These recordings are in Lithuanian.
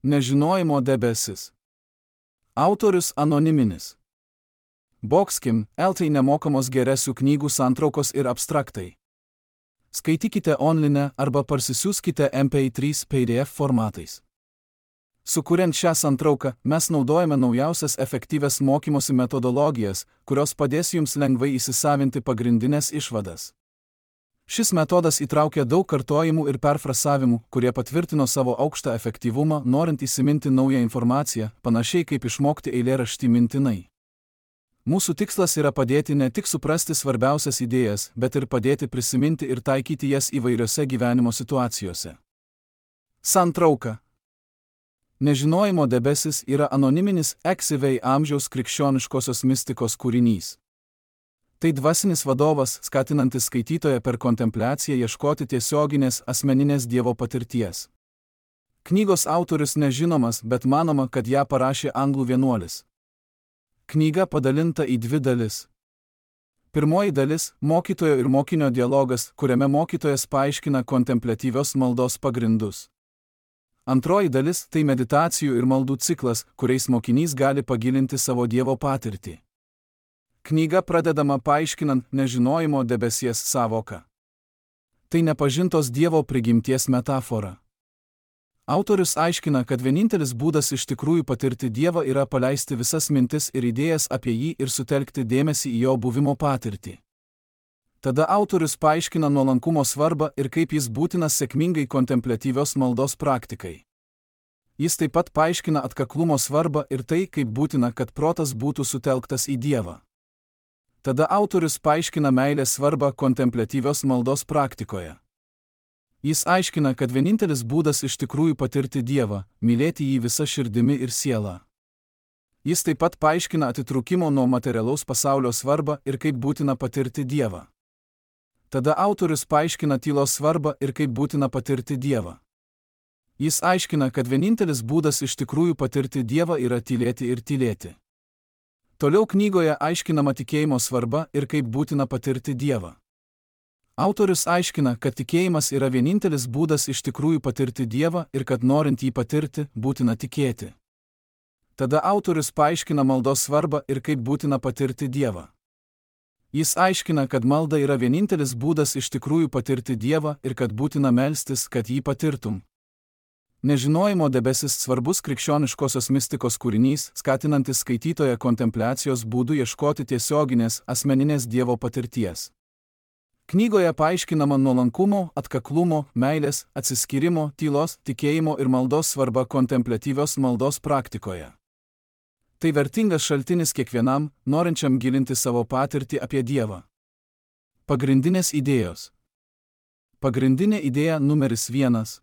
Nežinojimo debesis. Autorius anoniminis. Boxkim, LT nemokamos geresių knygų santraukos ir abstraktai. Skaitykite online arba parsisiųskite MP3 PDF formatais. Sukuriant šią santrauką, mes naudojame naujausias efektyvias mokymosi metodologijas, kurios padės jums lengvai įsisavinti pagrindinės išvadas. Šis metodas įtraukia daug kartojimų ir perfrasavimų, kurie patvirtino savo aukštą efektyvumą, norint įsiminti naują informaciją, panašiai kaip išmokti eilėraštį mintinai. Mūsų tikslas yra padėti ne tik suprasti svarbiausias idėjas, bet ir padėti prisiminti ir taikyti jas įvairiose gyvenimo situacijose. Santrauka. Nežinojimo debesis yra anoniminis XV amžiaus krikščioniškosios mistikos kūrinys. Tai dvasinis vadovas, skatinantis skaitytoją per kontempliaciją ieškoti tiesioginės asmeninės Dievo patirties. Knygos autorius nežinomas, bet manoma, kad ją parašė anglų vienuolis. Knyga padalinta į dvi dalis. Pirmoji dalis – mokytojo ir mokinio dialogas, kuriame mokytojas paaiškina kontempliatyvios maldos pagrindus. Antroji dalis – tai meditacijų ir maldų ciklas, kuriais mokinys gali pagilinti savo Dievo patirtį. Knyga pradedama paaiškinant nežinojimo debesies sąvoką. Tai nepažintos Dievo prigimties metafora. Autorius aiškina, kad vienintelis būdas iš tikrųjų patirti Dievą yra paleisti visas mintis ir idėjas apie jį ir sutelkti dėmesį į jo buvimo patirtį. Tada autorius paaiškina nuolankumo svarbą ir kaip jis būtinas sėkmingai kontempliatyvios maldos praktikai. Jis taip pat paaiškina atkaklumo svarbą ir tai, kaip būtina, kad protas būtų sutelktas į Dievą. Tada autorius paaiškina meilės svarbą kontempliatyvios maldos praktikoje. Jis aiškina, kad vienintelis būdas iš tikrųjų patirti Dievą – mylėti jį visa širdimi ir siela. Jis taip pat paaiškina atitrūkimo nuo materialaus pasaulio svarbą ir kaip būtina patirti Dievą. Tada autorius paaiškina tylos svarbą ir kaip būtina patirti Dievą. Jis aiškina, kad vienintelis būdas iš tikrųjų patirti Dievą yra tylėti ir tylėti. Toliau knygoje aiškinama tikėjimo svarba ir kaip būtina patirti Dievą. Autorius aiškina, kad tikėjimas yra vienintelis būdas iš tikrųjų patirti Dievą ir kad norint jį patirti, būtina tikėti. Tada autorius paaiškina maldos svarbą ir kaip būtina patirti Dievą. Jis aiškina, kad malda yra vienintelis būdas iš tikrųjų patirti Dievą ir kad būtina melstis, kad jį patirtum. Nežinojimo debesis svarbus krikščioniškosios mistikos kūrinys, skatinantis skaitytoją kontempliacijos būdų ieškoti tiesioginės, asmeninės Dievo patirties. Knygoje paaiškinama nuolankumo, atkaklumo, meilės, atsiskyrimo, tylos, tikėjimo ir maldos svarba kontempliatyvios maldos praktikoje. Tai vertingas šaltinis kiekvienam, norinčiam gilinti savo patirtį apie Dievą. Pagrindinės idėjos. Pagrindinė idėja numeris 1.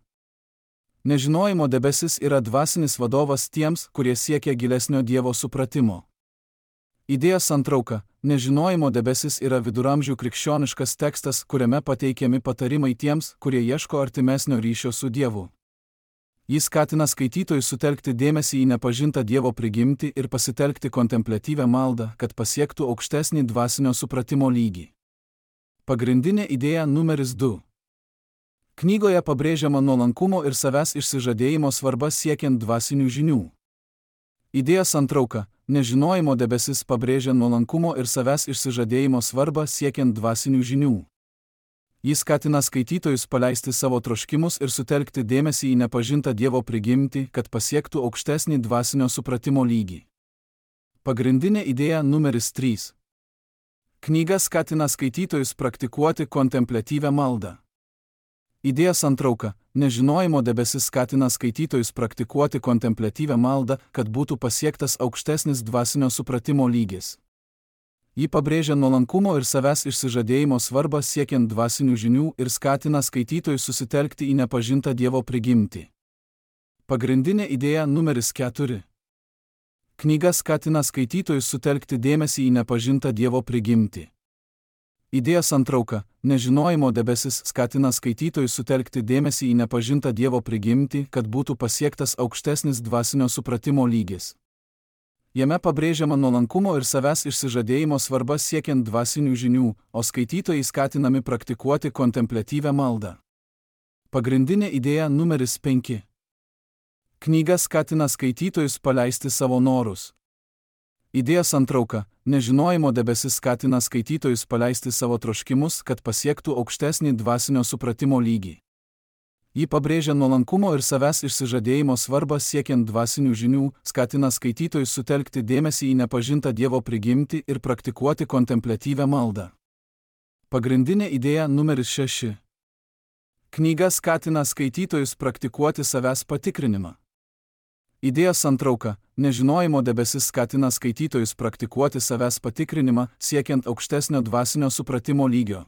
Nežinojimo debesis yra dvasinis vadovas tiems, kurie siekia gilesnio Dievo supratimo. Idėjos santrauka. Nežinojimo debesis yra viduramžių krikščioniškas tekstas, kuriame pateikiami patarimai tiems, kurie ieško artimesnio ryšio su Dievu. Jis skatina skaitytojus sutelkti dėmesį į nepažintą Dievo prigimtį ir pasitelkti kontempliatyvią maldą, kad pasiektų aukštesnį dvasinio supratimo lygį. Pagrindinė idėja numeris 2. Knygoje pabrėžiama nuolankumo ir savęs išsižadėjimo svarba siekiant dvasinių žinių. Idėjos santrauka. Nežinojimo debesis pabrėžia nuolankumo ir savęs išsižadėjimo svarbą siekiant dvasinių žinių. Jis skatina skaitytojus paleisti savo troškimus ir sutelkti dėmesį į nepažintą Dievo prigimtį, kad pasiektų aukštesnį dvasinio supratimo lygį. Pagrindinė idėja numeris 3. Knyga skatina skaitytojus praktikuoti kontempliatyvią maldą. Idėjos santrauka. Nežinojimo debesis skatina skaitytojus praktikuoti kontempliatyvią maldą, kad būtų pasiektas aukštesnis dvasinio supratimo lygis. Ji pabrėžia nuolankumo ir savęs išsižadėjimo svarbą siekiant dvasinių žinių ir skatina skaitytojus susitelkti į nepažintą Dievo prigimtį. Pagrindinė idėja numeris 4. Knyga skatina skaitytojus sutelkti dėmesį į nepažintą Dievo prigimtį. Idėjos santrauka. Nežinojimo debesis skatina skaitytojus sutelkti dėmesį į nepažintą Dievo prigimtį, kad būtų pasiektas aukštesnis dvasinio supratimo lygis. Jame pabrėžiama nuolankumo ir savęs išsižadėjimo svarba siekiant dvasinių žinių, o skaitytojai skatinami praktikuoti kontempliatyvią maldą. Pagrindinė idėja numeris 5. Knyga skatina skaitytojus paleisti savo norus. Idėjos santrauka – nežinojimo debesis skatina skaitytojus paleisti savo troškimus, kad pasiektų aukštesnį dvasinio supratimo lygį. Ji pabrėžia nuolankumo ir savęs išsižadėjimo svarbą siekiant dvasinių žinių, skatina skaitytojus sutelkti dėmesį į nepažintą Dievo prigimtį ir praktikuoti kontempliatyvią maldą. Pagrindinė idėja numeris 6. Knyga skatina skaitytojus praktikuoti savęs patikrinimą. Idėjos santrauka – nežinojimo debesis skatina skaitytojus praktikuoti savęs patikrinimą, siekiant aukštesnio dvasinio supratimo lygio.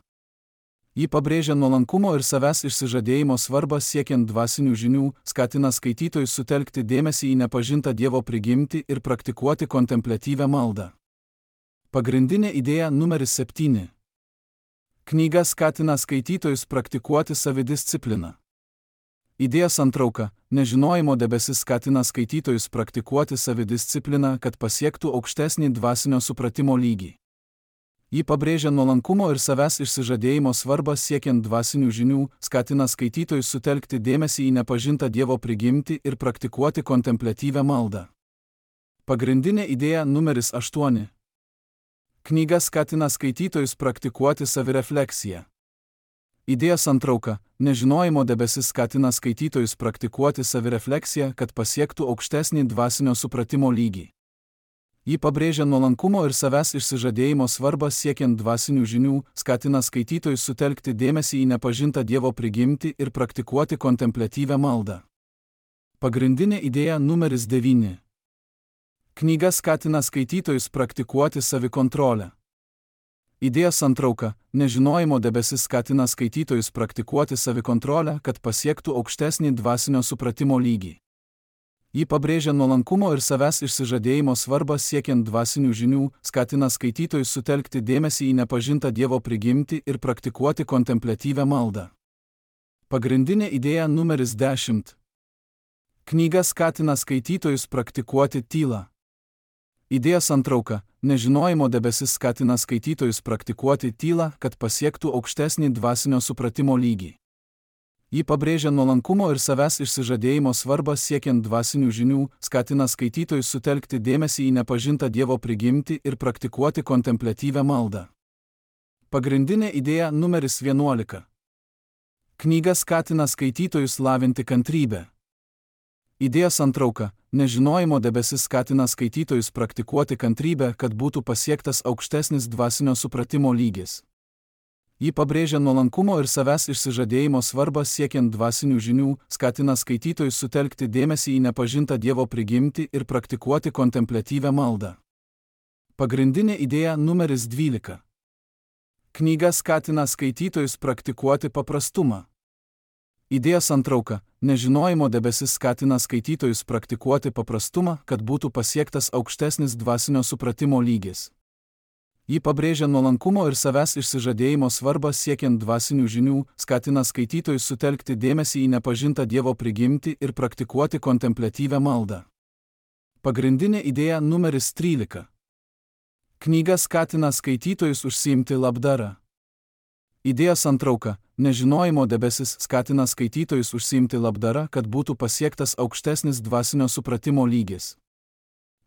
Ji pabrėžia nuolankumo ir savęs išsižadėjimo svarbą siekiant dvasinių žinių, skatina skaitytojus sutelkti dėmesį į nepažintą Dievo prigimtį ir praktikuoti kontempliatyvią maldą. Pagrindinė idėja numeris 7. Knyga skatina skaitytojus praktikuoti savidiscipliną. Idėjos santrauka – nežinojimo debesis skatina skaitytojus praktikuoti savidiscipliną, kad pasiektų aukštesnį dvasinio supratimo lygį. Ji pabrėžia nuolankumo ir savęs išsižadėjimo svarbą siekiant dvasinių žinių, skatina skaitytojus sutelkti dėmesį į nepažintą Dievo prigimtį ir praktikuoti kontempliatyvią maldą. Pagrindinė idėja numeris 8. Knyga skatina skaitytojus praktikuoti savirefleksiją. Idėjos santrauka – nežinojimo debesis skatina skaitytojus praktikuoti savirefleksiją, kad pasiektų aukštesnį dvasinio supratimo lygį. Ji pabrėžia nuolankumo ir savęs išsižadėjimo svarbą siekiant dvasinių žinių, skatina skaitytojus sutelkti dėmesį į nepažintą Dievo prigimtį ir praktikuoti kontempliatyvią maldą. Pagrindinė idėja numeris 9. Knyga skatina skaitytojus praktikuoti savikontrolę. Idėjos santrauka – nežinojimo debesis skatina skaitytojus praktikuoti savikontrolę, kad pasiektų aukštesnį dvasinio supratimo lygį. Ji pabrėžia nuolankumo ir savęs išsižadėjimo svarbą siekiant dvasinių žinių, skatina skaitytojus sutelkti dėmesį į nepažintą Dievo prigimtį ir praktikuoti kontempliatyvią maldą. Pagrindinė idėja numeris 10. Knyga skatina skaitytojus praktikuoti tylą. Idėjos santrauka – nežinojimo debesis skatina skaitytojus praktikuoti tylą, kad pasiektų aukštesnį dvasinio supratimo lygį. Ji pabrėžia nuolankumo ir savęs išsižadėjimo svarbą siekiant dvasinių žinių, skatina skaitytojus sutelkti dėmesį į nepažintą Dievo prigimtį ir praktikuoti kontempliatyvią maldą. Pagrindinė idėja numeris 11. Knyga skatina skaitytojus lavinti kantrybę. Idėjos santrauka – nežinojimo debesis skatina skaitytojus praktikuoti kantrybę, kad būtų pasiektas aukštesnis dvasinio supratimo lygis. Ji pabrėžia nuolankumo ir savęs išsižadėjimo svarbą siekiant dvasinių žinių, skatina skaitytojus sutelkti dėmesį į nepažintą Dievo prigimtį ir praktikuoti kontempliatyvią maldą. Pagrindinė idėja numeris 12. Knyga skatina skaitytojus praktikuoti paprastumą. Idėjos santrauka – nežinojimo debesis skatina skaitytojus praktikuoti paprastumą, kad būtų pasiektas aukštesnis dvasinio supratimo lygis. Ji pabrėžia nuolankumo ir savęs išsižadėjimo svarbą siekiant dvasinių žinių, skatina skaitytojus sutelkti dėmesį į nepažintą Dievo prigimtį ir praktikuoti kontempliatyvią maldą. Pagrindinė idėja numeris 13. Knyga skatina skaitytojus užsiimti labdara. Idėjos santrauka – nežinojimo debesis skatina skaitytojus užsiimti labdara, kad būtų pasiektas aukštesnis dvasinio supratimo lygis.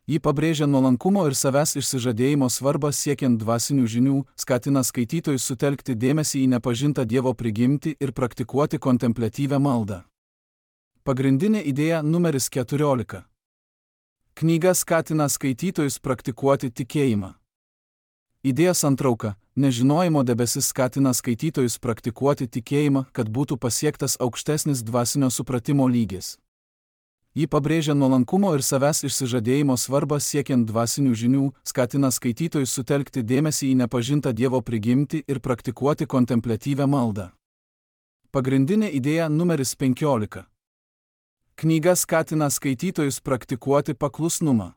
Ji pabrėžia nuolankumo ir savęs išsižadėjimo svarbą siekiant dvasinių žinių, skatina skaitytojus sutelkti dėmesį į nepažintą Dievo prigimtį ir praktikuoti kontempliatyvią maldą. Pagrindinė idėja numeris 14. Knyga skatina skaitytojus praktikuoti tikėjimą. Idėjos santrauka – nežinojimo debesis skatina skaitytojus praktikuoti tikėjimą, kad būtų pasiektas aukštesnis dvasinio supratimo lygis. Ji pabrėžia nuolankumo ir savęs išsižadėjimo svarbą siekiant dvasinių žinių, skatina skaitytojus sutelkti dėmesį į nepažintą Dievo prigimtį ir praktikuoti kontempliatyvią maldą. Pagrindinė idėja numeris 15. Knyga skatina skaitytojus praktikuoti paklusnumą.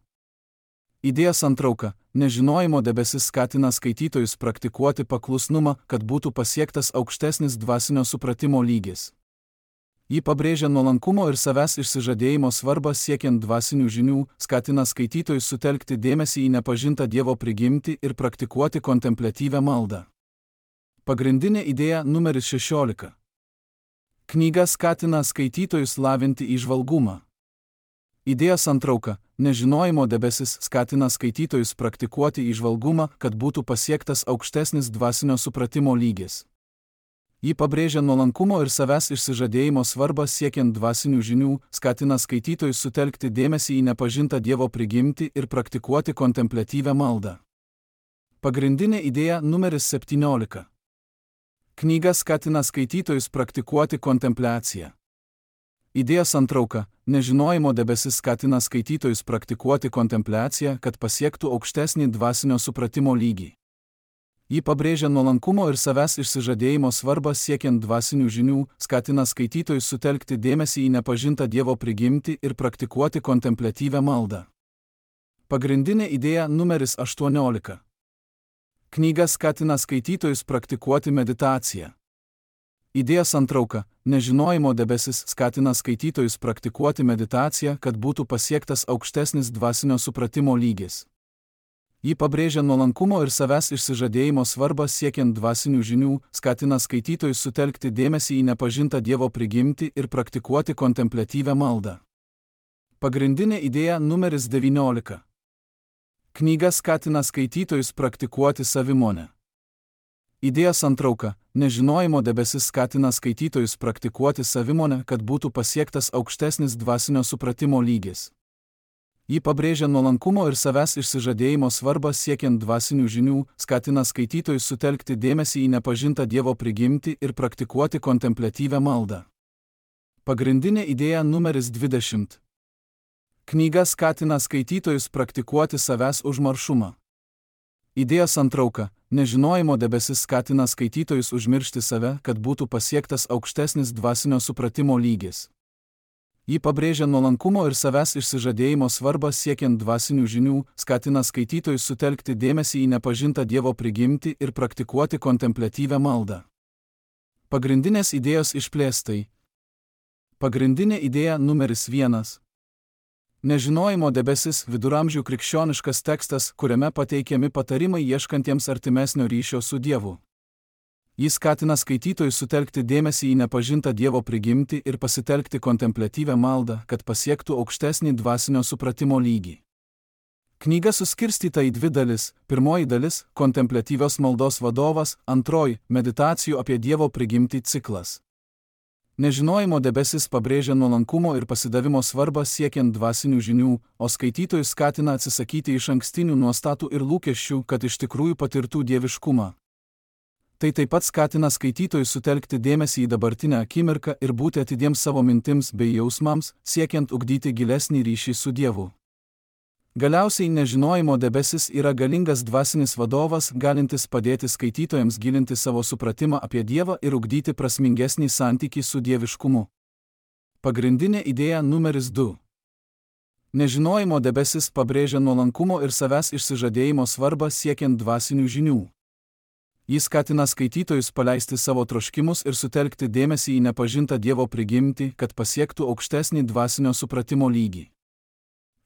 Idėjos santrauka – nežinojimo debesis skatina skaitytojus praktikuoti paklusnumą, kad būtų pasiektas aukštesnis dvasinio supratimo lygis. Ji pabrėžia nuolankumo ir savęs išsižadėjimo svarbą siekiant dvasinių žinių, skatina skaitytojus sutelkti dėmesį į nepažintą Dievo prigimtį ir praktikuoti kontempliatyvią maldą. Pagrindinė idėja numeris 16. Knyga skatina skaitytojus lavinti įžvalgumą. Idėjos santrauka. Nežinojimo debesis skatina skaitytojus praktikuoti įžvalgumą, kad būtų pasiektas aukštesnis dvasinio supratimo lygis. Ji pabrėžia nuolankumo ir savęs išsižadėjimo svarbą siekiant dvasinių žinių, skatina skaitytojus sutelkti dėmesį į nepažintą Dievo prigimtį ir praktikuoti kontempliatyvią maldą. Pagrindinė idėja numeris 17. Knyga skatina skaitytojus praktikuoti kontempliaciją. Idėjos santrauka. Nežinojimo debesis skatina skaitytojus praktikuoti kontempliaciją, kad pasiektų aukštesnį dvasinio supratimo lygį. Ji pabrėžia nuolankumo ir savęs išsižadėjimo svarbą siekiant dvasinių žinių, skatina skaitytojus sutelkti dėmesį į nepažintą Dievo prigimtį ir praktikuoti kontempliatyvią maldą. Pagrindinė idėja numeris 18. Knyga skatina skaitytojus praktikuoti meditaciją. Idėjos santrauka. Nežinojimo debesis skatina skaitytojus praktikuoti meditaciją, kad būtų pasiektas aukštesnis dvasinio supratimo lygis. Ji pabrėžia nuolankumo ir savęs išsižadėjimo svarbą siekiant dvasinių žinių, skatina skaitytojus sutelkti dėmesį į nepažintą Dievo prigimtį ir praktikuoti kontempliatyvią maldą. Pagrindinė idėja numeris 19. Knyga skatina skaitytojus praktikuoti savimonę. Idėjos santrauka. Nežinojimo debesis skatina skaitytojus praktikuoti savimonę, kad būtų pasiektas aukštesnis dvasinio supratimo lygis. Ji pabrėžia nuolankumo ir savęs išsižadėjimo svarbą siekiant dvasinių žinių, skatina skaitytojus sutelkti dėmesį į nepažintą Dievo prigimtį ir praktikuoti kontempliatyvią maldą. Pagrindinė idėja numeris 20. Knyga skatina skaitytojus praktikuoti savęs užmaršumą. Idėjos santrauka. Nežinojimo debesis skatina skaitytojus užmiršti save, kad būtų pasiektas aukštesnis dvasinio supratimo lygis. Ji pabrėžia nuolankumo ir savęs išsižadėjimo svarbą siekiant dvasinių žinių, skatina skaitytojus sutelkti dėmesį į nepažintą Dievo prigimtį ir praktikuoti kontempliatyvią maldą. Pagrindinės idėjos išplėstai. Pagrindinė idėja numeris 1. Nežinojimo debesis viduramžių krikščioniškas tekstas, kuriame pateikiami patarimai ieškantiems artimesnio ryšio su Dievu. Jis skatina skaitytojus sutelkti dėmesį į nepažintą Dievo prigimtį ir pasitelkti kontempliatyvią maldą, kad pasiektų aukštesnį dvasinio supratimo lygį. Knyga suskirstyta į 2 dalis. Pirmoji dalis – kontempliatyvios maldos vadovas, antroji – meditacijų apie Dievo prigimtį ciklas. Nežinojimo debesis pabrėžia nuolankumo ir pasidavimo svarbą siekiant dvasinių žinių, o skaitytojus skatina atsisakyti išankstinių nuostatų ir lūkesčių, kad iš tikrųjų patirtų dieviškumą. Tai taip pat skatina skaitytojus sutelkti dėmesį į dabartinę akimirką ir būti atidiems savo mintims bei jausmams, siekiant ugdyti gilesnį ryšį su Dievu. Galiausiai nežinojimo debesis yra galingas dvasinis vadovas, galintis padėti skaitytojams gilinti savo supratimą apie Dievą ir ugdyti prasmingesnį santykį su dieviškumu. Pagrindinė idėja numeris 2. Nežinojimo debesis pabrėžia nuolankumo ir savęs išsižadėjimo svarbą siekiant dvasinių žinių. Jis skatina skaitytojus paleisti savo troškimus ir sutelkti dėmesį į nepažintą Dievo prigimtį, kad pasiektų aukštesnį dvasinio supratimo lygį.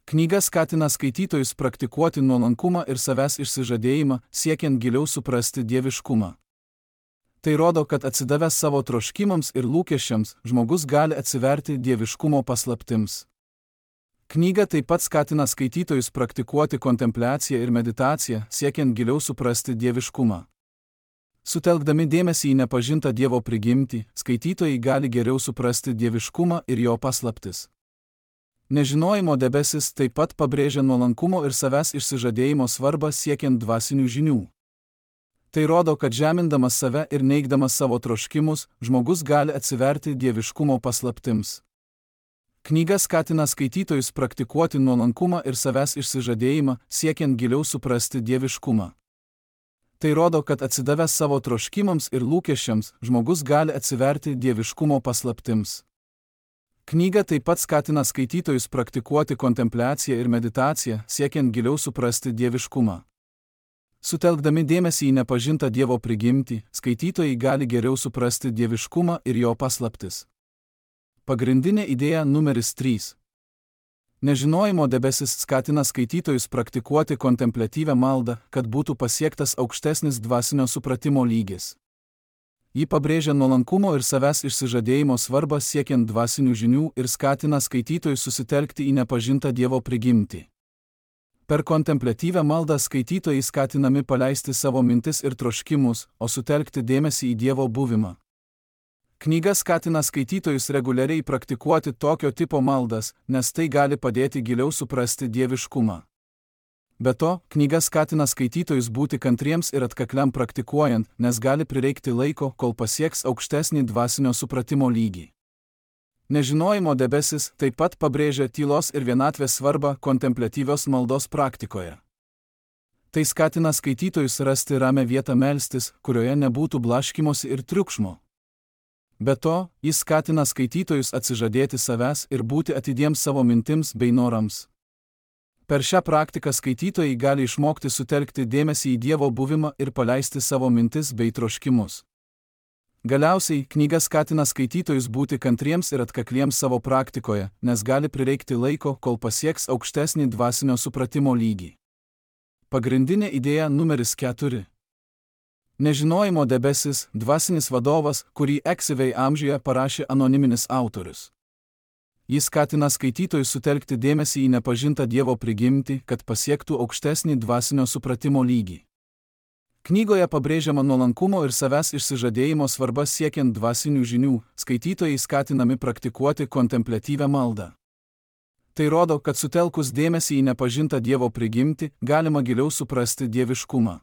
Knyga skatina skaitytojus praktikuoti nuolankumą ir savęs išsižadėjimą, siekiant giliau suprasti dieviškumą. Tai rodo, kad atsidavęs savo troškimams ir lūkesčiams, žmogus gali atsiverti dieviškumo paslaptims. Knyga taip pat skatina skaitytojus praktikuoti kontempliaciją ir meditaciją, siekiant giliau suprasti dieviškumą. Sutelkdami dėmesį į nepažintą Dievo prigimtį, skaitytojai gali geriau suprasti dieviškumą ir jo paslaptis. Nežinojimo debesis taip pat pabrėžia nuolankumo ir savęs išsižadėjimo svarbą siekiant dvasinių žinių. Tai rodo, kad žemindamas save ir neigdamas savo troškimus, žmogus gali atsiverti dieviškumo paslaptims. Knyga skatina skaitytojus praktikuoti nuolankumą ir savęs išsižadėjimą, siekiant giliau suprasti dieviškumą. Tai rodo, kad atsidavęs savo troškimams ir lūkesčiams, žmogus gali atsiverti dieviškumo paslaptims. Knyga taip pat skatina skaitytojus praktikuoti kontempliaciją ir meditaciją, siekiant giliau suprasti dieviškumą. Sutelkdami dėmesį į nepažintą Dievo prigimtį, skaitytojai gali geriau suprasti dieviškumą ir jo paslaptis. Pagrindinė idėja numeris 3. Nežinojimo debesis skatina skaitytojus praktikuoti kontempliatyvią maldą, kad būtų pasiektas aukštesnis dvasinio supratimo lygis. Ji pabrėžia nuolankumo ir savęs išsižadėjimo svarbą siekiant dvasinių žinių ir skatina skaitytojus susitelkti į nepažintą Dievo prigimtį. Per kontempliatyvią maldą skaitytojai skatinami paleisti savo mintis ir troškimus, o sutelkti dėmesį į Dievo buvimą. Knyga skatina skaitytojus reguliariai praktikuoti tokio tipo maldas, nes tai gali padėti giliau suprasti dieviškumą. Be to, knyga skatina skaitytojus būti kantriems ir atkakliam praktikuojant, nes gali prireikti laiko, kol pasieks aukštesnį dvasinio supratimo lygį. Nežinojimo debesis taip pat pabrėžia tylos ir vienatvės svarbą kontempliatyvios maldos praktikoje. Tai skatina skaitytojus rasti ramią vietą melstis, kurioje nebūtų blaškymosi ir triukšmo. Be to, jis skatina skaitytojus atsižadėti savęs ir būti atidiems savo mintims bei norams. Per šią praktiką skaitytojai gali išmokti sutelkti dėmesį į Dievo buvimą ir paleisti savo mintis bei troškimus. Galiausiai, knyga skatina skaitytojus būti kantriems ir atkakliems savo praktikoje, nes gali prireikti laiko, kol pasieks aukštesnį dvasinio supratimo lygį. Pagrindinė idėja numeris 4. Nežinojimo debesis – dvasinis vadovas, kurį eksyviai amžiuje parašė anoniminis autorius. Jis skatina skaitytojus sutelkti dėmesį į nepažintą Dievo prigimtį, kad pasiektų aukštesnį dvasinio supratimo lygį. Knygoje pabrėžiama nuolankumo ir savęs išsižadėjimo svarba siekiant dvasinių žinių, skaitytojai skatinami praktikuoti kontempliatyvią maldą. Tai rodo, kad sutelkus dėmesį į nepažintą Dievo prigimtį, galima giliau suprasti dieviškumą.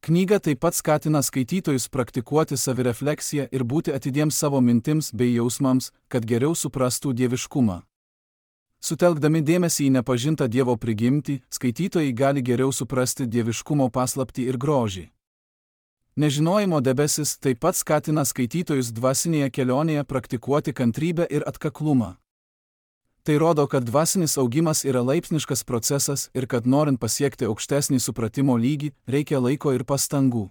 Knyga taip pat skatina skaitytojus praktikuoti savirefleksiją ir būti atidiems savo mintims bei jausmams, kad geriau suprastų dieviškumą. Sutelkdami dėmesį į nepažintą Dievo prigimtį, skaitytojai gali geriau suprasti dieviškumo paslaptį ir grožį. Nežinojimo debesis taip pat skatina skaitytojus dvasinėje kelionėje praktikuoti kantrybę ir atkaklumą. Tai rodo, kad dvasinis augimas yra laipsniškas procesas ir kad norint pasiekti aukštesnį supratimo lygį, reikia laiko ir pastangų.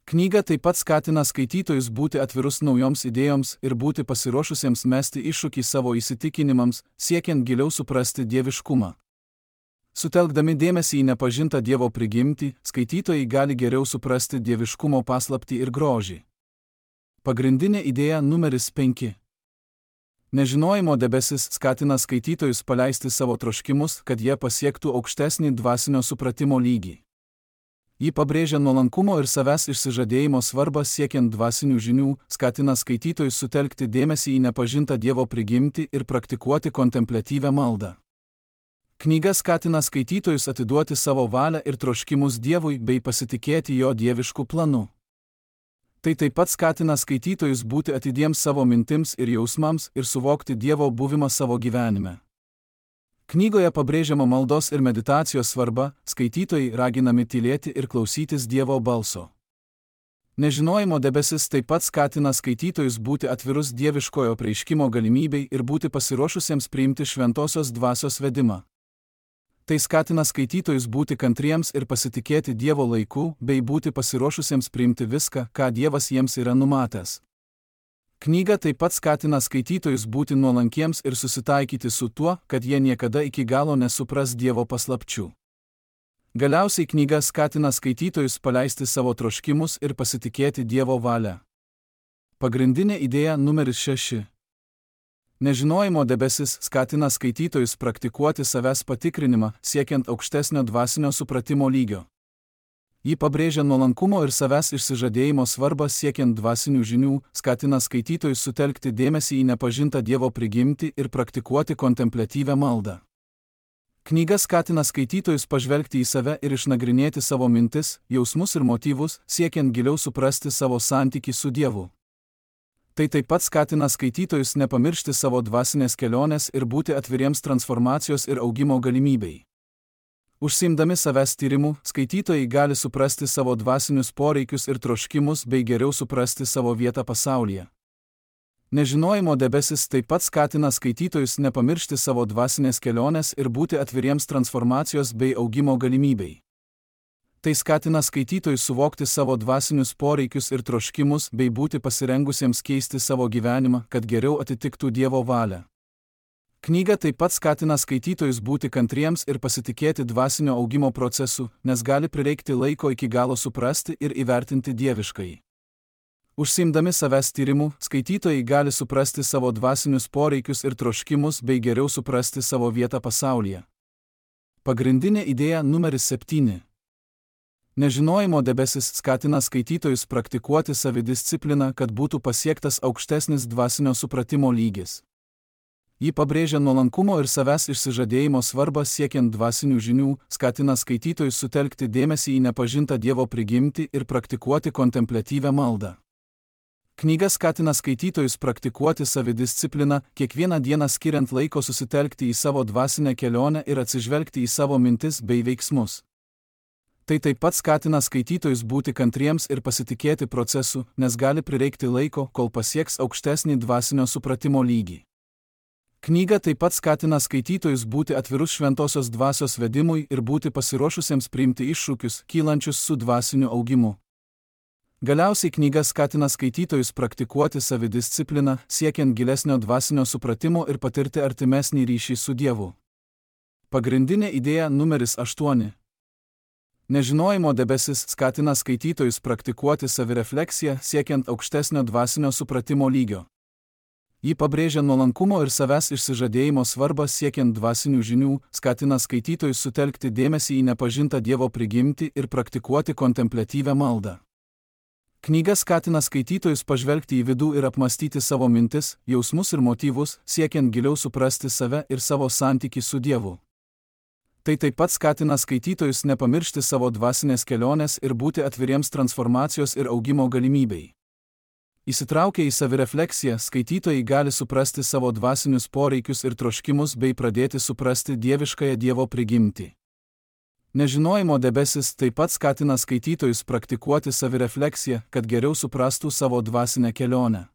Knyga taip pat skatina skaitytojus būti atvirus naujoms idėjoms ir būti pasiruošusiems mesti iššūkį savo įsitikinimams, siekiant giliau suprasti dieviškumą. Sutelkdami dėmesį į nepažintą Dievo prigimtį, skaitytojai gali geriau suprasti dieviškumo paslaptį ir grožį. Pagrindinė idėja numeris 5. Nežinojimo debesis skatina skaitytojus paleisti savo troškimus, kad jie pasiektų aukštesnį dvasinio supratimo lygį. Ji pabrėžia nuolankumo ir savęs išsižadėjimo svarbą siekiant dvasinių žinių, skatina skaitytojus sutelkti dėmesį į nepažintą Dievo prigimtį ir praktikuoti kontempliatyvią maldą. Knyga skatina skaitytojus atiduoti savo valią ir troškimus Dievui bei pasitikėti jo dievišku planu. Tai taip pat skatina skaitytojus būti atidiems savo mintims ir jausmams ir suvokti Dievo buvimą savo gyvenime. Knygoje pabrėžiama maldos ir meditacijos svarba, skaitytojai raginami tylėti ir klausytis Dievo balso. Nežinojimo debesis taip pat skatina skaitytojus būti atvirus dieviškojo apreiškimo galimybei ir būti pasiruošusiems priimti šventosios dvasios vedimą. Tai skatina skaitytojus būti kantriems ir pasitikėti Dievo laiku, bei būti pasiruošusiems priimti viską, ką Dievas jiems yra numatęs. Knyga taip pat skatina skaitytojus būti nuolankiems ir susitaikyti su tuo, kad jie niekada iki galo nesupras Dievo paslapčių. Galiausiai knyga skatina skaitytojus paleisti savo troškimus ir pasitikėti Dievo valią. Pagrindinė idėja numeris 6. Nežinojimo debesis skatina skaitytojus praktikuoti savęs patikrinimą, siekiant aukštesnio dvasinio supratimo lygio. Ji pabrėžia nuolankumo ir savęs išsižadėjimo svarbą siekiant dvasinių žinių, skatina skaitytojus sutelkti dėmesį į nepažintą Dievo prigimtį ir praktikuoti kontempliatyvią maldą. Knyga skatina skaitytojus pažvelgti į save ir išnagrinėti savo mintis, jausmus ir motyvus, siekiant giliau suprasti savo santykį su Dievu. Tai taip pat skatina skaitytojus nepamiršti savo dvasinės kelionės ir būti atviriems transformacijos ir augimo galimybei. Užsiimdami savęs tyrimu, skaitytojai gali suprasti savo dvasinius poreikius ir troškimus bei geriau suprasti savo vietą pasaulyje. Nežinojimo debesis taip pat skatina skaitytojus nepamiršti savo dvasinės kelionės ir būti atviriems transformacijos bei augimo galimybei. Tai skatina skaitytojus suvokti savo dvasinius poreikius ir troškimus bei būti pasirengusiems keisti savo gyvenimą, kad geriau atitiktų Dievo valią. Knyga taip pat skatina skaitytojus būti kantriems ir pasitikėti dvasinio augimo procesu, nes gali prireikti laiko iki galo suprasti ir įvertinti dieviškai. Užsiimdami savęs tyrimu, skaitytojai gali suprasti savo dvasinius poreikius ir troškimus bei geriau suprasti savo vietą pasaulyje. Pagrindinė idėja numeris 7. Nežinojimo debesis skatina skaitytojus praktikuoti savidiscipliną, kad būtų pasiektas aukštesnis dvasinio supratimo lygis. Ji pabrėžia nuolankumo ir savęs išsižadėjimo svarbą siekiant dvasinių žinių, skatina skaitytojus sutelkti dėmesį į nepažintą Dievo prigimtį ir praktikuoti kontempliatyvią maldą. Knyga skatina skaitytojus praktikuoti savidiscipliną, kiekvieną dieną skiriant laiko susitelkti į savo dvasinę kelionę ir atsižvelgti į savo mintis bei veiksmus. Tai taip pat skatina skaitytojus būti kantriems ir pasitikėti procesu, nes gali prireikti laiko, kol pasieks aukštesnį dvasinio supratimo lygį. Knyga taip pat skatina skaitytojus būti atvirus šventosios dvasios vedimui ir būti pasiruošusiems priimti iššūkius, kylančius su dvasiniu augimu. Galiausiai knyga skatina skaitytojus praktikuoti savidiscipliną, siekiant gilesnio dvasinio supratimo ir patirti artimesnį ryšį su Dievu. Pagrindinė idėja numeris 8. Nežinojimo debesis skatina skaitytojus praktikuoti savirefleksiją, siekiant aukštesnio dvasinio supratimo lygio. Ji pabrėžia nuolankumo ir savęs išsižadėjimo svarbą siekiant dvasinių žinių, skatina skaitytojus sutelkti dėmesį į nepažintą Dievo prigimtį ir praktikuoti kontempliatyvią maldą. Knyga skatina skaitytojus pažvelgti į vidų ir apmastyti savo mintis, jausmus ir motyvus, siekiant giliau suprasti save ir savo santykį su Dievu. Tai taip pat skatina skaitytojus nepamiršti savo dvasinės kelionės ir būti atviriems transformacijos ir augimo galimybei. Įsitraukę į savirefleksiją, skaitytojai gali suprasti savo dvasinius poreikius ir troškimus bei pradėti suprasti dieviškąją Dievo prigimtį. Nežinojimo debesis taip pat skatina skaitytojus praktikuoti savirefleksiją, kad geriau suprastų savo dvasinę kelionę.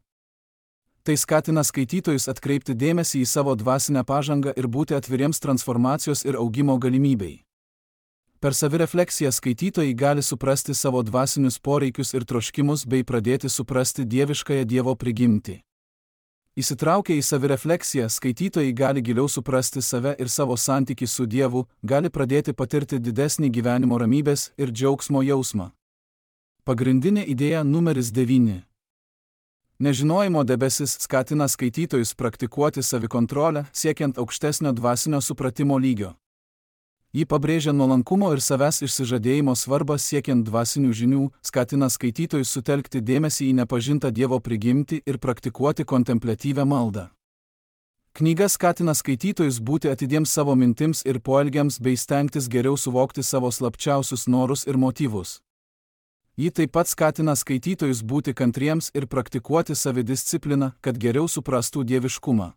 Tai skatina skaitytojus atkreipti dėmesį į savo dvasinę pažangą ir būti atviriems transformacijos ir augimo galimybei. Per savirefleksiją skaitytojai gali suprasti savo dvasinius poreikius ir troškimus bei pradėti suprasti dieviškąją Dievo prigimtį. Įsitraukę į savirefleksiją, skaitytojai gali giliau suprasti save ir savo santykį su Dievu, gali pradėti patirti didesnį gyvenimo ramybės ir džiaugsmo jausmą. Pagrindinė idėja numeris 9. Nežinojimo debesis skatina skaitytojus praktikuoti savikontrolę, siekiant aukštesnio dvasinio supratimo lygio. Ji pabrėžia nuolankumo ir savęs išsižadėjimo svarbą siekiant dvasinių žinių, skatina skaitytojus sutelkti dėmesį į nepažintą Dievo prigimtį ir praktikuoti kontempliatyvią maldą. Knyga skatina skaitytojus būti atidiems savo mintims ir poelgiams bei stengtis geriau suvokti savo slapčiausius norus ir motyvus. Ji taip pat skatina skaitytojus būti kantriems ir praktikuoti savidiscipliną, kad geriau suprastų dieviškumą.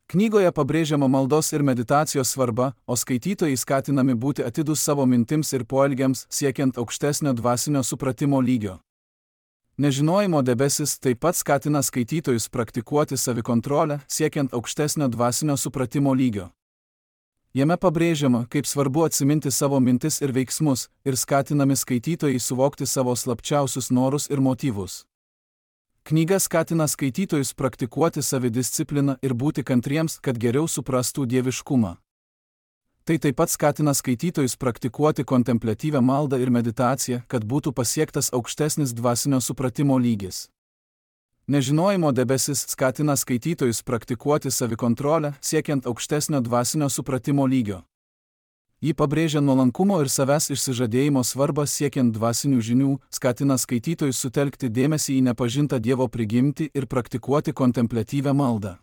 Knygoje pabrėžiama maldos ir meditacijos svarba, o skaitytojai skatinami būti atidūs savo mintims ir poelgiams, siekiant aukštesnio dvasinio supratimo lygio. Nežinojimo debesis taip pat skatina skaitytojus praktikuoti savikontrolę, siekiant aukštesnio dvasinio supratimo lygio. Jame pabrėžiama, kaip svarbu atsiminti savo mintis ir veiksmus, ir skatinami skaitytojai suvokti savo slapčiausius norus ir motyvus. Knyga skatina skaitytojus praktikuoti savidiscipliną ir būti kantriems, kad geriau suprastų dieviškumą. Tai taip pat skatina skaitytojus praktikuoti kontempliatyvią maldą ir meditaciją, kad būtų pasiektas aukštesnis dvasinio supratimo lygis. Nežinojimo debesis skatina skaitytojus praktikuoti savikontrolę, siekiant aukštesnio dvasinio supratimo lygio. Ji pabrėžia nuolankumo ir savęs išsižadėjimo svarbą siekiant dvasinių žinių, skatina skaitytojus sutelkti dėmesį į nepažintą Dievo prigimtį ir praktikuoti kontempliatyvią maldą.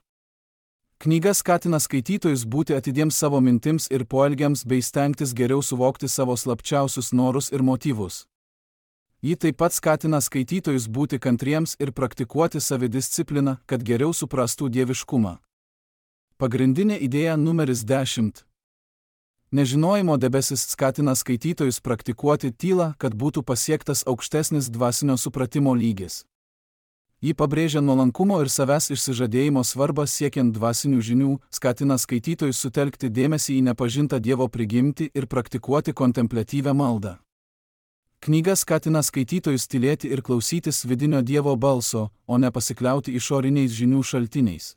Knyga skatina skaitytojus būti atidiems savo mintims ir poelgiams bei stengtis geriau suvokti savo slapčiausius norus ir motyvus. Ji taip pat skatina skaitytojus būti kantriems ir praktikuoti savidiscipliną, kad geriau suprastų dieviškumą. Pagrindinė idėja numeris 10. Nežinojimo debesis skatina skaitytojus praktikuoti tylą, kad būtų pasiektas aukštesnis dvasinio supratimo lygis. Ji pabrėžia nuolankumo ir savęs išsižadėjimo svarbą siekiant dvasinių žinių, skatina skaitytojus sutelkti dėmesį į nepažintą Dievo prigimtį ir praktikuoti kontempliatyvią maldą. Knyga skatina skaitytojus tylėti ir klausytis vidinio Dievo balso, o ne pasikliauti išoriniais žinių šaltiniais.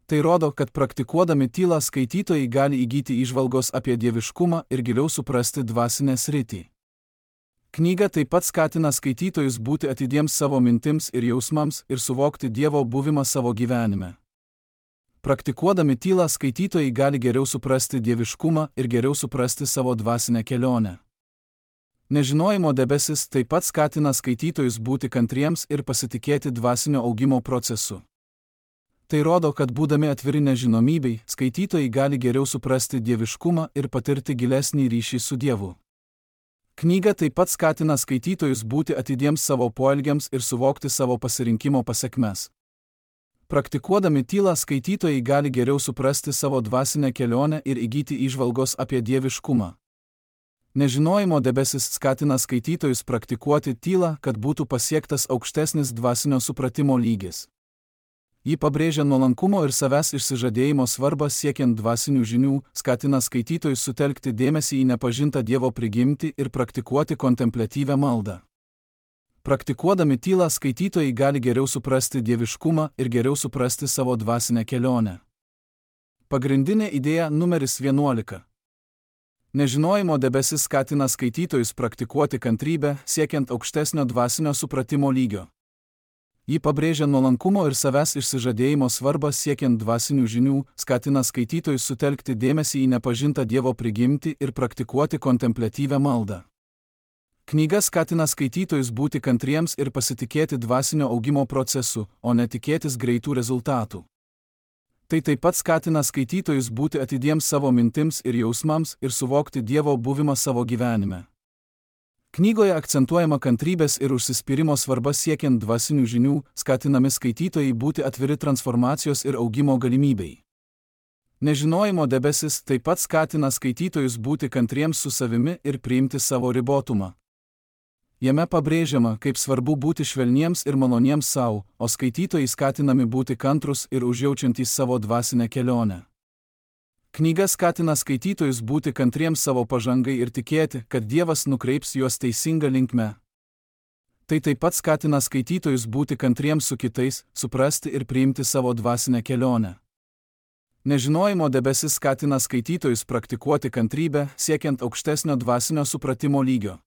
Tai rodo, kad praktikuodami tylą skaitytojai gali įgyti įžvalgos apie dieviškumą ir giliau suprasti dvasinę sritį. Knyga taip pat skatina skaitytojus būti atidiems savo mintims ir jausmams ir suvokti Dievo buvimą savo gyvenime. Praktikuodami tylą skaitytojai gali geriau suprasti dieviškumą ir geriau suprasti savo dvasinę kelionę. Nežinojimo debesis taip pat skatina skaitytojus būti kantriems ir pasitikėti dvasinio augimo procesu. Tai rodo, kad būdami atviri nežinomybei, skaitytojai gali geriau suprasti dieviškumą ir patirti gilesnį ryšį su Dievu. Knyga taip pat skatina skaitytojus būti atidiems savo poelgiams ir suvokti savo pasirinkimo pasekmes. Praktikuodami tylą skaitytojai gali geriau suprasti savo dvasinę kelionę ir įgyti įžvalgos apie dieviškumą. Nežinojimo debesis skatina skaitytojus praktikuoti tylą, kad būtų pasiektas aukštesnis dvasinio supratimo lygis. Ji pabrėžia nuolankumo ir savęs išsižadėjimo svarbą siekiant dvasinių žinių, skatina skaitytojus sutelkti dėmesį į nepažintą Dievo prigimtį ir praktikuoti kontempliatyvią maldą. Praktikuodami tylą skaitytojai gali geriau suprasti dieviškumą ir geriau suprasti savo dvasinę kelionę. Pagrindinė idėja numeris 11. Nežinojimo debesis skatina skaitytojus praktikuoti kantrybę, siekiant aukštesnio dvasinio supratimo lygio. Ji pabrėžia nuolankumo ir savęs išsižadėjimo svarbą siekiant dvasinių žinių, skatina skaitytojus sutelkti dėmesį į nepažintą Dievo prigimtį ir praktikuoti kontempliatyvią maldą. Knyga skatina skaitytojus būti kantriems ir pasitikėti dvasinio augimo procesu, o ne tikėtis greitų rezultatų. Tai taip pat skatina skaitytojus būti atidiems savo mintims ir jausmams ir suvokti Dievo buvimą savo gyvenime. Knygoje akcentuojama kantrybės ir užsispyrimo svarba siekiant dvasinių žinių, skatinami skaitytojai būti atviri transformacijos ir augimo galimybei. Nežinojimo debesis taip pat skatina skaitytojus būti kantriems su savimi ir priimti savo ribotumą. Jame pabrėžiama, kaip svarbu būti švelniems ir maloniems savo, o skaitytojai skatinami būti kantrus ir užjaučiantys savo dvasinę kelionę. Knyga skatina skaitytojus būti kantriems savo pažangai ir tikėti, kad Dievas nukreips juos teisinga linkme. Tai taip pat skatina skaitytojus būti kantriems su kitais, suprasti ir priimti savo dvasinę kelionę. Nežinojimo debesis skatina skaitytojus praktikuoti kantrybę, siekiant aukštesnio dvasinio supratimo lygio.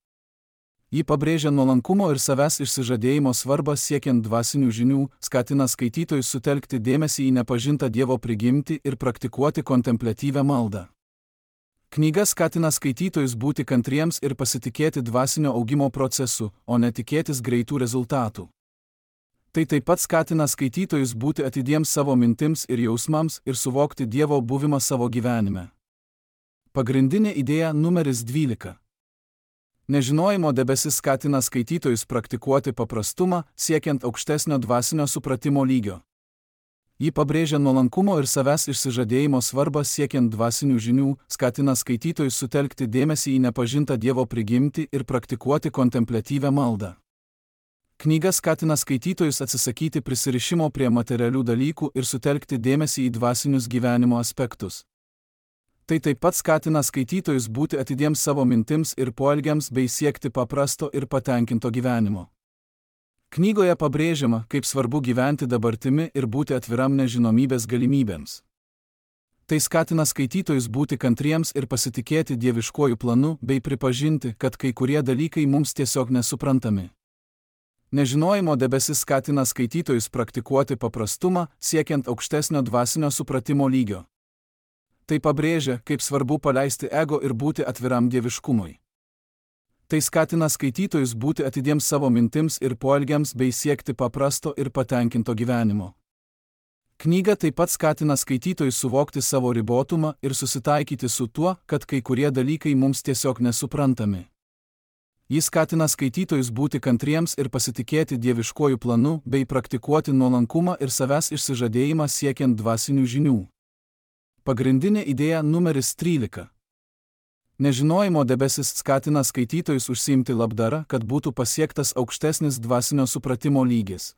Ji pabrėžia nuolankumo ir savęs išsižadėjimo svarbą siekiant dvasinių žinių, skatina skaitytojus sutelkti dėmesį į nepažintą Dievo prigimtį ir praktikuoti kontempliatyvią maldą. Knyga skatina skaitytojus būti kantriems ir pasitikėti dvasinio augimo procesu, o ne tikėtis greitų rezultatų. Tai taip pat skatina skaitytojus būti atidiems savo mintims ir jausmams ir suvokti Dievo buvimą savo gyvenime. Pagrindinė idėja numeris 12. Nežinojimo debesis skatina skaitytojus praktikuoti paprastumą, siekiant aukštesnio dvasinio supratimo lygio. Ji pabrėžia nuolankumo ir savęs išsižadėjimo svarbą siekiant dvasinių žinių, skatina skaitytojus sutelkti dėmesį į nepažintą Dievo prigimtį ir praktikuoti kontempliatyvią maldą. Knyga skatina skaitytojus atsisakyti prisirišimo prie materialių dalykų ir sutelkti dėmesį į dvasinius gyvenimo aspektus. Tai taip pat skatina skaitytojus būti atidiems savo mintims ir poelgiams bei siekti paprasto ir patenkinto gyvenimo. Knygoje pabrėžiama, kaip svarbu gyventi dabartimi ir būti atviram nežinomybės galimybėms. Tai skatina skaitytojus būti kantriems ir pasitikėti dieviškuoju planu bei pripažinti, kad kai kurie dalykai mums tiesiog nesuprantami. Nežinojimo debesis skatina skaitytojus praktikuoti paprastumą, siekiant aukštesnio dvasinio supratimo lygio. Tai pabrėžia, kaip svarbu paleisti ego ir būti atviram dieviškumui. Tai skatina skaitytojus būti atidiems savo mintims ir poelgiams bei siekti paprasto ir patenkinto gyvenimo. Knyga taip pat skatina skaitytojus suvokti savo ribotumą ir susitaikyti su tuo, kad kai kurie dalykai mums tiesiog nesuprantami. Jis skatina skaitytojus būti kantriems ir pasitikėti dieviškuoju planu bei praktikuoti nuolankumą ir savęs išsižadėjimą siekiant dvasinių žinių. Pagrindinė idėja numeris 13. Nežinojimo debesis skatina skaitytojus užsiimti labdarą, kad būtų pasiektas aukštesnis dvasinio supratimo lygis.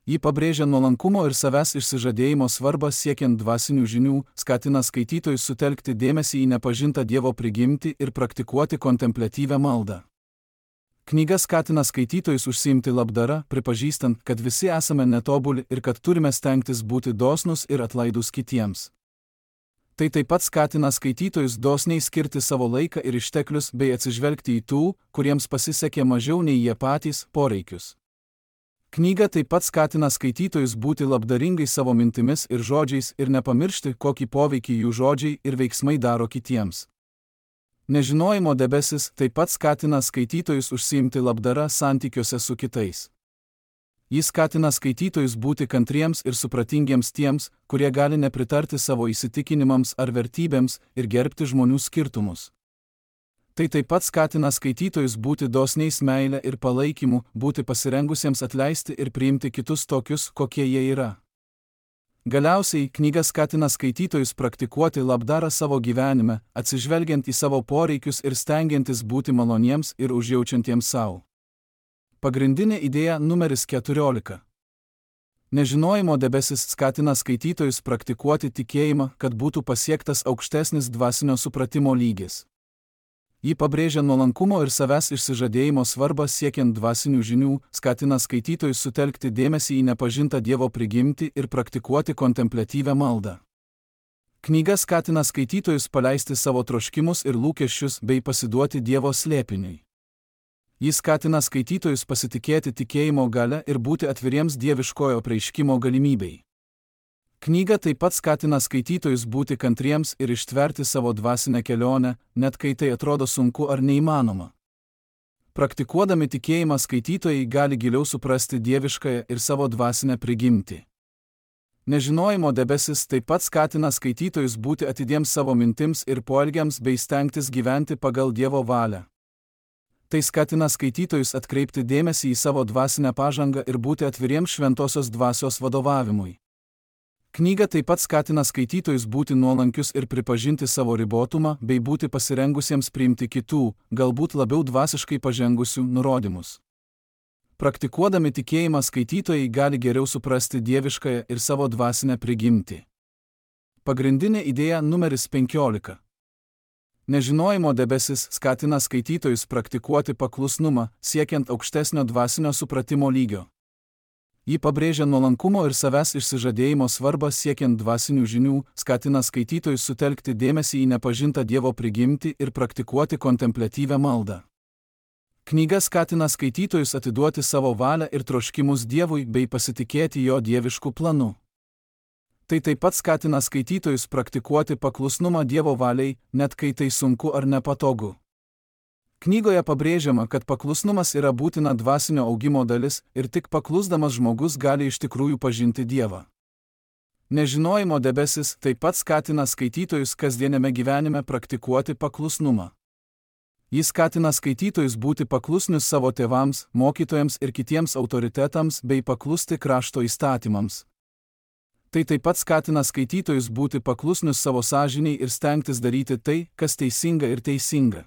Ji pabrėžia nuolankumo ir savęs išsižadėjimo svarbą siekiant dvasinių žinių, skatina skaitytojus sutelkti dėmesį į nepažintą Dievo prigimtį ir praktikuoti kontempliatyvią maldą. Knyga skatina skaitytojus užsiimti labdarą, pripažįstant, kad visi esame netobuli ir kad turime stengtis būti dosnūs ir atlaidūs kitiems. Tai taip pat skatina skaitytojus dosniai skirti savo laiką ir išteklius bei atsižvelgti į tų, kuriems pasisekė mažiau nei jie patys, poreikius. Knyga taip pat skatina skaitytojus būti labdaringai savo mintimis ir žodžiais ir nepamiršti, kokį poveikį jų žodžiai ir veiksmai daro kitiems. Nežinojimo debesis taip pat skatina skaitytojus užsiimti labdara santykiuose su kitais. Jis skatina skaitytojus būti kantriems ir supratingiems tiems, kurie gali nepritarti savo įsitikinimams ar vertybėms ir gerbti žmonių skirtumus. Tai taip pat skatina skaitytojus būti dosniais meile ir palaikymu, būti pasirengusiems atleisti ir priimti kitus tokius, kokie jie yra. Galiausiai, knyga skatina skaitytojus praktikuoti labdarą savo gyvenime, atsižvelgiant į savo poreikius ir stengiantis būti maloniems ir užjaučiantiems savo. Pagrindinė idėja numeris 14. Nežinojimo debesis skatina skaitytojus praktikuoti tikėjimą, kad būtų pasiektas aukštesnis dvasinio supratimo lygis. Ji pabrėžia nuolankumo ir savęs išsižadėjimo svarbą siekiant dvasinių žinių, skatina skaitytojus sutelkti dėmesį į nepažintą Dievo prigimtį ir praktikuoti kontempliatyvią maldą. Knyga skatina skaitytojus paleisti savo troškimus ir lūkesčius bei pasiduoti Dievo slėpiniui. Jis skatina skaitytojus pasitikėti tikėjimo galia ir būti atviriems dieviškojo apreiškimo galimybei. Knyga taip pat skatina skaitytojus būti kantriems ir ištverti savo dvasinę kelionę, net kai tai atrodo sunku ar neįmanoma. Praktikuodami tikėjimą skaitytojai gali giliau suprasti dieviškąją ir savo dvasinę prigimtį. Nežinojimo debesis taip pat skatina skaitytojus būti atidiems savo mintims ir poelgiams bei stengtis gyventi pagal Dievo valią. Tai skatina skaitytojus atkreipti dėmesį į savo dvasinę pažangą ir būti atviriems šventosios dvasios vadovavimui. Knyga taip pat skatina skaitytojus būti nuolankius ir pripažinti savo ribotumą bei būti pasirengusiems priimti kitų, galbūt labiau dvasiškai pažengusių, nurodymus. Praktikuodami tikėjimą skaitytojai gali geriau suprasti dieviškąją ir savo dvasinę prigimtį. Pagrindinė idėja numeris 15. Nežinojimo debesis skatina skaitytojus praktikuoti paklusnumą, siekiant aukštesnio dvasinio supratimo lygio. Ji pabrėžia nuolankumo ir savęs išsižadėjimo svarbą siekiant dvasinių žinių, skatina skaitytojus sutelkti dėmesį į nepažintą Dievo prigimtį ir praktikuoti kontempliatyvią maldą. Knyga skatina skaitytojus atiduoti savo valią ir troškimus Dievui bei pasitikėti jo dievišku planu. Tai taip pat skatina skaitytojus praktikuoti paklusnumą Dievo valiai, net kai tai sunku ar nepatogu. Knygoje pabrėžiama, kad paklusnumas yra būtina dvasinio augimo dalis ir tik paklusdamas žmogus gali iš tikrųjų pažinti Dievą. Nežinojimo debesis taip pat skatina skaitytojus kasdieniame gyvenime praktikuoti paklusnumą. Jis skatina skaitytojus būti paklusnius savo tėvams, mokytojams ir kitiems autoritetams bei paklusti krašto įstatymams. Tai taip pat skatina skaitytojus būti paklusnius savo sąžinei ir stengtis daryti tai, kas teisinga ir teisinga.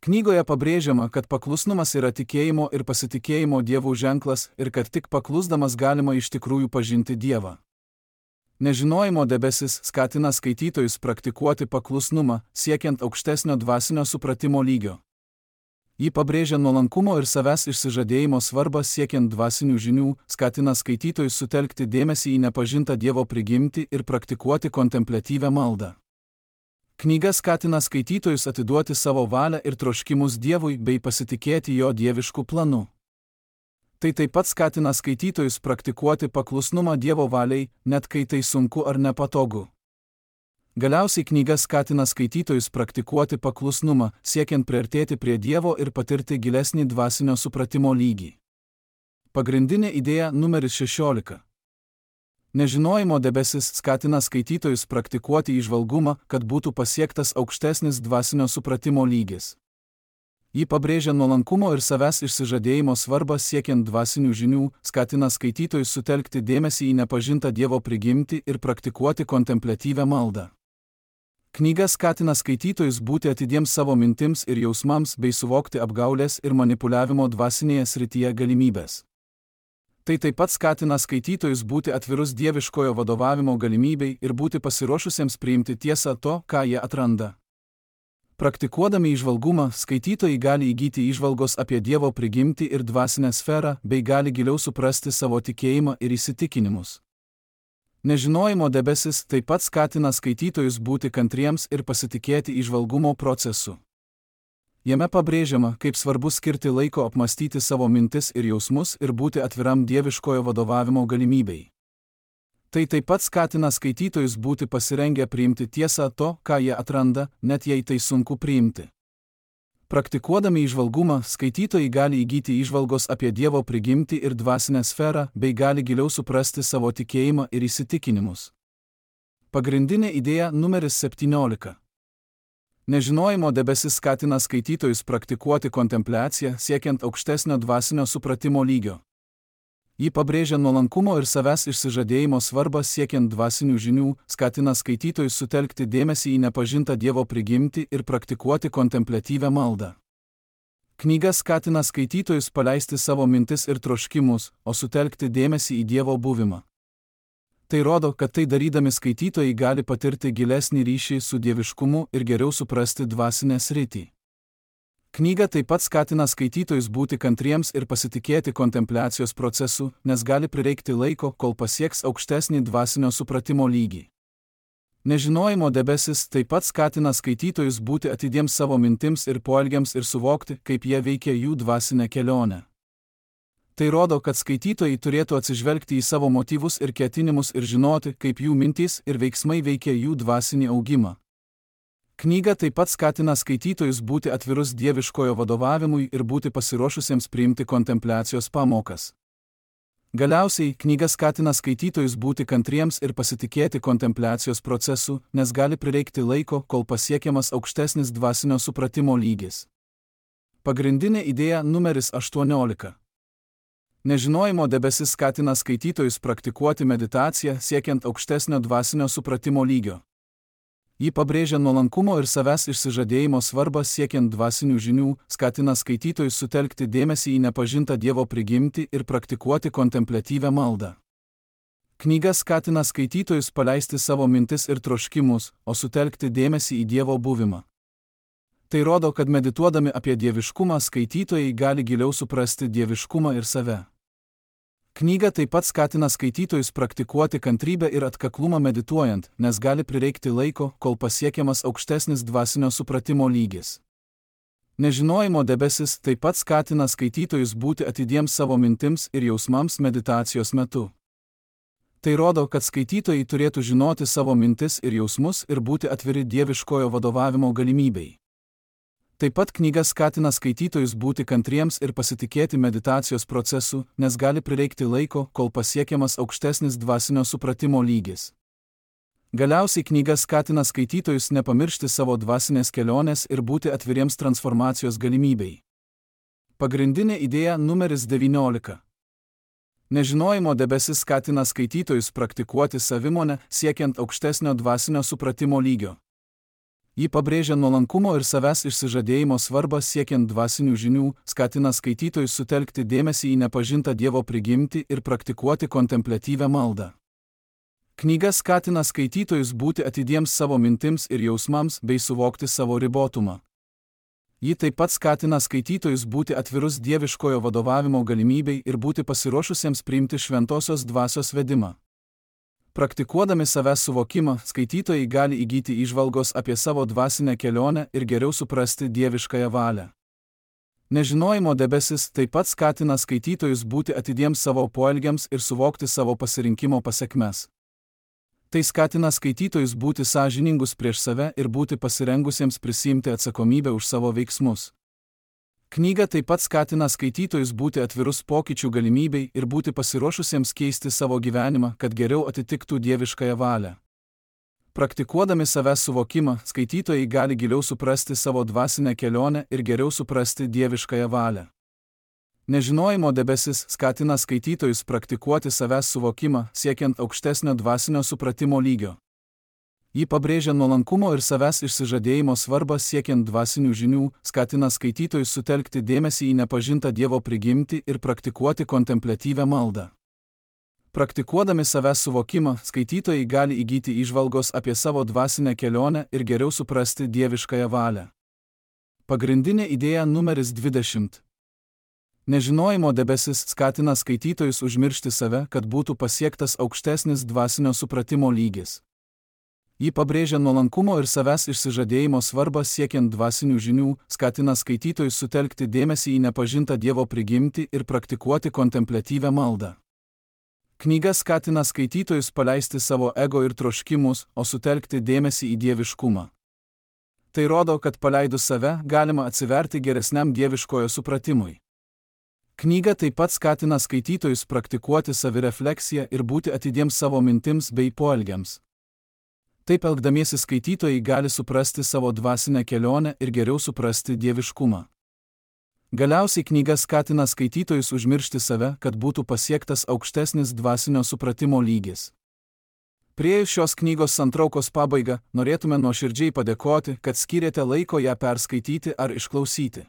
Knygoje pabrėžiama, kad paklusnumas yra tikėjimo ir pasitikėjimo Dievu ženklas ir kad tik paklusdamas galima iš tikrųjų pažinti Dievą. Nežinojimo debesis skatina skaitytojus praktikuoti paklusnumą, siekiant aukštesnio dvasinio supratimo lygio. Ji pabrėžia nuolankumo ir savęs išsižadėjimo svarbą siekiant dvasinių žinių, skatina skaitytojus sutelkti dėmesį į nepažintą Dievo prigimtį ir praktikuoti kontempliatyvią maldą. Knyga skatina skaitytojus atiduoti savo valią ir troškimus Dievui bei pasitikėti jo dievišku planu. Tai taip pat skatina skaitytojus praktikuoti paklusnumą Dievo valiai, net kai tai sunku ar nepatogu. Galiausiai knyga skatina skaitytojus praktikuoti paklusnumą, siekiant priartėti prie Dievo ir patirti gilesnį dvasinio supratimo lygį. Pagrindinė idėja numeris 16. Nežinojimo debesis skatina skaitytojus praktikuoti įžvalgumą, kad būtų pasiektas aukštesnis dvasinio supratimo lygis. Ji pabrėžia nuolankumo ir savęs išsižadėjimo svarbą siekiant dvasinių žinių, skatina skaitytojus sutelkti dėmesį į nepažintą Dievo prigimtį ir praktikuoti kontempliatyvią maldą. Knyga skatina skaitytojus būti atidiems savo mintims ir jausmams bei suvokti apgaulės ir manipuliavimo dvasinėje srityje galimybės. Tai taip pat skatina skaitytojus būti atvirus dieviškojo vadovavimo galimybei ir būti pasiruošusiems priimti tiesą to, ką jie atranda. Praktikuodami įžvalgumą, skaitytojai gali įgyti įžvalgos apie Dievo prigimtį ir dvasinę sferą, bei gali giliau suprasti savo tikėjimą ir įsitikinimus. Nežinojimo debesis taip pat skatina skaitytojus būti kantriems ir pasitikėti įžvalgumo procesu. Jame pabrėžiama, kaip svarbu skirti laiko apmastyti savo mintis ir jausmus ir būti atviram dieviškojo vadovavimo galimybei. Tai taip pat skatina skaitytojus būti pasirengę priimti tiesą to, ką jie atranda, net jei tai sunku priimti. Praktikuodami įžvalgumą, skaitytojai gali įgyti įžvalgos apie Dievo prigimtį ir dvasinę sferą, bei gali giliau suprasti savo tikėjimą ir įsitikinimus. Pagrindinė idėja numeris 17. Nežinojimo debesis skatina skaitytojus praktikuoti kontempliaciją, siekiant aukštesnio dvasinio supratimo lygio. Ji pabrėžia nuolankumo ir savęs išsižadėjimo svarbą siekiant dvasinių žinių, skatina skaitytojus sutelkti dėmesį į nepažintą Dievo prigimtį ir praktikuoti kontempliatyvią maldą. Knyga skatina skaitytojus paleisti savo mintis ir troškimus, o sutelkti dėmesį į Dievo buvimą. Tai rodo, kad tai darydami skaitytojai gali patirti gilesnį ryšį su dieviškumu ir geriau suprasti dvasinę sritį. Knyga taip pat skatina skaitytojus būti kantriems ir pasitikėti kontempliacijos procesu, nes gali prireikti laiko, kol pasieks aukštesnį dvasinio supratimo lygį. Nežinojimo debesis taip pat skatina skaitytojus būti atidiems savo mintims ir poelgiams ir suvokti, kaip jie veikia jų dvasinę kelionę. Tai rodo, kad skaitytojai turėtų atsižvelgti į savo motyvus ir ketinimus ir žinoti, kaip jų mintys ir veiksmai veikia jų dvasinį augimą. Knyga taip pat skatina skaitytojus būti atvirus dieviškojo vadovavimui ir būti pasiruošusiems priimti kontempliacijos pamokas. Galiausiai, knyga skatina skaitytojus būti kantriems ir pasitikėti kontempliacijos procesu, nes gali prireikti laiko, kol pasiekiamas aukštesnis dvasinio supratimo lygis. Pagrindinė idėja numeris 18. Nežinojimo debesis skatina skaitytojus praktikuoti meditaciją siekiant aukštesnio dvasinio supratimo lygio. Ji pabrėžia nuolankumo ir savęs išsižadėjimo svarbą siekiant dvasinių žinių, skatina skaitytojus sutelkti dėmesį į nepažintą Dievo prigimtį ir praktikuoti kontempliatyvią maldą. Knyga skatina skaitytojus paleisti savo mintis ir troškimus, o sutelkti dėmesį į Dievo buvimą. Tai rodo, kad medituodami apie dieviškumą skaitytojai gali giliau suprasti dieviškumą ir save. Knyga taip pat skatina skaitytojus praktikuoti kantrybę ir atkaklumą medituojant, nes gali prireikti laiko, kol pasiekiamas aukštesnis dvasinio supratimo lygis. Nežinojimo debesis taip pat skatina skaitytojus būti atidiems savo mintims ir jausmams meditacijos metu. Tai rodo, kad skaitytojai turėtų žinoti savo mintis ir jausmus ir būti atviri dieviškojo vadovavimo galimybei. Taip pat knyga skatina skaitytojus būti kantriems ir pasitikėti meditacijos procesu, nes gali prireikti laiko, kol pasiekiamas aukštesnis dvasinio supratimo lygis. Galiausiai knyga skatina skaitytojus nepamiršti savo dvasinės kelionės ir būti atviriems transformacijos galimybei. Pagrindinė idėja numeris 19. Nežinojimo debesis skatina skaitytojus praktikuoti savimonę siekiant aukštesnio dvasinio supratimo lygio. Ji pabrėžia nuolankumo ir savęs išsižadėjimo svarbą siekiant dvasinių žinių, skatina skaitytojus sutelkti dėmesį į nepažintą Dievo prigimtį ir praktikuoti kontempliatyvią maldą. Knyga skatina skaitytojus būti atidiems savo mintims ir jausmams bei suvokti savo ribotumą. Ji taip pat skatina skaitytojus būti atvirus dieviškojo vadovavimo galimybei ir būti pasiruošusiems priimti šventosios dvasios vedimą. Praktikuodami savęs suvokimą, skaitytojai gali įgyti įžvalgos apie savo dvasinę kelionę ir geriau suprasti dieviškąją valią. Nežinojimo debesis taip pat skatina skaitytojus būti atidiems savo poelgiams ir suvokti savo pasirinkimo pasekmes. Tai skatina skaitytojus būti sąžiningus prieš save ir būti pasirengusiems prisiimti atsakomybę už savo veiksmus. Knyga taip pat skatina skaitytojus būti atvirus pokyčių galimybei ir būti pasiruošusiems keisti savo gyvenimą, kad geriau atitiktų dieviškąją valią. Praktikuodami savęs suvokimą, skaitytojai gali giliau suprasti savo dvasinę kelionę ir geriau suprasti dieviškąją valią. Nežinojimo debesis skatina skaitytojus praktikuoti savęs suvokimą, siekiant aukštesnio dvasinio supratimo lygio. Ji pabrėžia nuolankumo ir savęs išsižadėjimo svarbą siekiant dvasinių žinių, skatina skaitytojus sutelkti dėmesį į nepažintą Dievo prigimtį ir praktikuoti kontempliatyvią maldą. Praktikuodami savęs suvokimą, skaitytojai gali įgyti įžvalgos apie savo dvasinę kelionę ir geriau suprasti dieviškąją valią. Pagrindinė idėja numeris 20. Nežinojimo debesis skatina skaitytojus užmiršti save, kad būtų pasiektas aukštesnis dvasinio supratimo lygis. Ji pabrėžia nuolankumo ir savęs išsižadėjimo svarbą siekiant dvasinių žinių, skatina skaitytojus sutelkti dėmesį į nepažintą Dievo prigimtį ir praktikuoti kontempliatyvią maldą. Knyga skatina skaitytojus paleisti savo ego ir troškimus, o sutelkti dėmesį į dieviškumą. Tai rodo, kad paleidus save galima atsiverti geresniam dieviškojo supratimui. Knyga taip pat skatina skaitytojus praktikuoti savirefleksiją ir būti atidiems savo mintims bei poelgiams. Taip elgdamiesi skaitytojai gali suprasti savo dvasinę kelionę ir geriau suprasti dieviškumą. Galiausiai knyga skatina skaitytojus užmiršti save, kad būtų pasiektas aukštesnis dvasinio supratimo lygis. Priėjus šios knygos santraukos pabaigą, norėtume nuoširdžiai padėkoti, kad skyrėte laiko ją perskaityti ar išklausyti.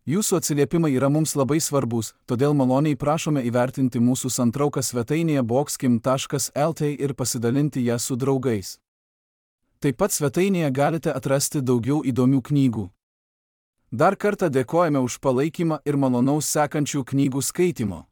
Jūsų atsiliepimai yra mums labai svarbus, todėl maloniai prašome įvertinti mūsų santrauką svetainėje boxkim.lt ir pasidalinti ją su draugais. Taip pat svetainėje galite atrasti daugiau įdomių knygų. Dar kartą dėkojame už palaikymą ir malonaus sekančių knygų skaitimo.